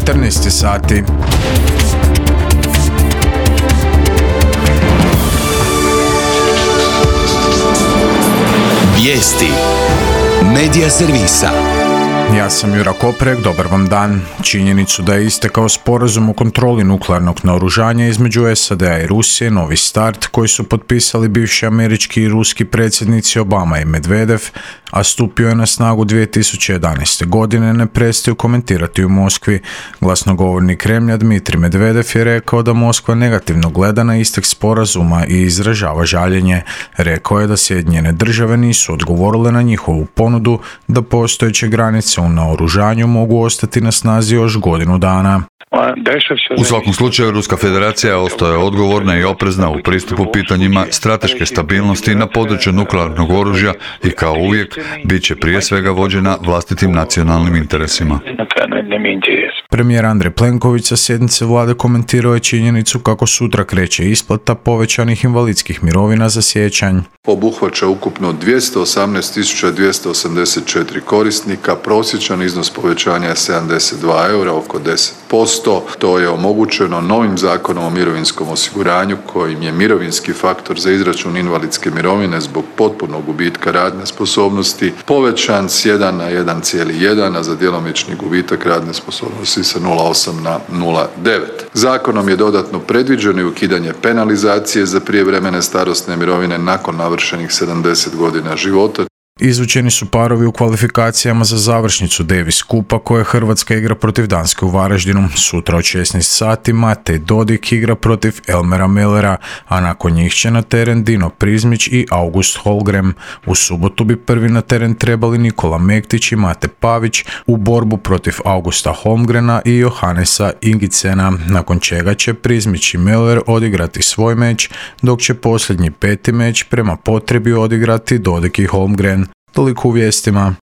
14 sati. Vijesti Medija servisa. Ja sam Jura Koprek, dobar vam dan. Činjenicu da je istekao sporazum o kontroli nuklearnog naoružanja između SAD-a i Rusije, Novi start, koji su potpisali bivši američki i ruski predsjednici Obama i Medvedev, a stupio je na snagu 2011. godine, ne prestaju komentirati u Moskvi. Glasnogovornik Kremlja Dmitrij Medvedev je rekao da Moskva negativno gleda na istek sporazuma i izražava žaljenje. Rekao je da Sjedinjene države nisu odgovorile na njihovu ponudu da postojeće granice u naoružanju mogu ostati na snazi još godinu dana. U svakom slučaju, Ruska federacija ostaje odgovorna i oprezna u pristupu pitanjima strateške stabilnosti na području nuklearnog oružja i kao uvijek bit će prije svega vođena vlastitim nacionalnim interesima. Premijer Andrej Plenković sa sjednice vlade komentirao je činjenicu kako sutra kreće isplata povećanih invalidskih mirovina za siječanj. Obuhvaća ukupno 218.284 korisnika, prosječan iznos povećanja je 72 eura, oko 10%. To je omogućeno novim zakonom o mirovinskom osiguranju kojim je mirovinski faktor za izračun invalidske mirovine zbog potpunog gubitka radne sposobnosti povećan s 1 na 1,1, a za djelomični gubitak radne sposobnosti sa 0,8 na 0,9. Zakonom je dodatno predviđeno i ukidanje penalizacije za prijevremene starosne mirovine nakon navršenih 70 godina života. Izvučeni su parovi u kvalifikacijama za završnicu Davis Kupa koje Hrvatska igra protiv Danske u Varaždinu. Sutra od 16 sati Matej Dodik igra protiv Elmera Mellera, a nakon njih će na teren Dino Prizmić i August Holmgren. U subotu bi prvi na teren trebali Nikola Mektić i Mate Pavić u borbu protiv Augusta Holmgrena i Johannesa Ingicena, nakon čega će Prizmić i Meller odigrati svoj meč, dok će posljednji peti meč prema potrebi odigrati Dodik i Holmgren. Toliko u vijestima.